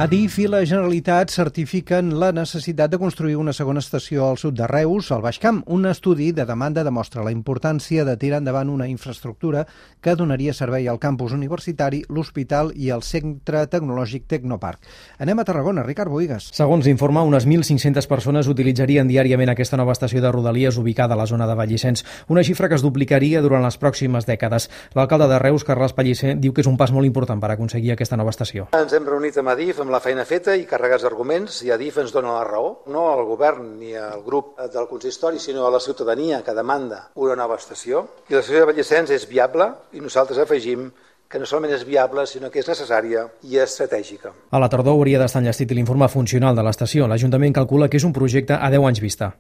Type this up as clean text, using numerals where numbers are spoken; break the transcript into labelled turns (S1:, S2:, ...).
S1: Adif i la Generalitat certifiquen la necessitat de construir una segona estació al sud de Reus, al Baix Camp. Un estudi de demanda demostra la importància de tirar endavant una infraestructura que donaria servei al campus universitari, l'hospital i el centre tecnològic Tecnoparc. Anem a Tarragona, Ricard Bohigas.
S2: Segons l'informe, unes 1.500 persones utilitzarien diàriament aquesta nova estació de Rodalies ubicada a la zona de Vallicens, una xifra que es duplicaria durant les pròximes dècades. L'alcalde de Reus, Carles Pellicer, diu que és un pas molt important per aconseguir aquesta nova estació.
S3: Ens hem reunit amb Adif, amb la feina feta i carregats d'arguments, i Adif ens dona la raó, no al govern ni al grup del consistori, sinó a la ciutadania que demanda una nova estació. I l'estació de Vallicens és viable i nosaltres afegim que no solament és viable, sinó que és necessària i estratègica.
S2: A la tardor hauria d'estar enllestit l'informe funcional de l'estació. L'Ajuntament calcula que és un projecte a 10 anys vista.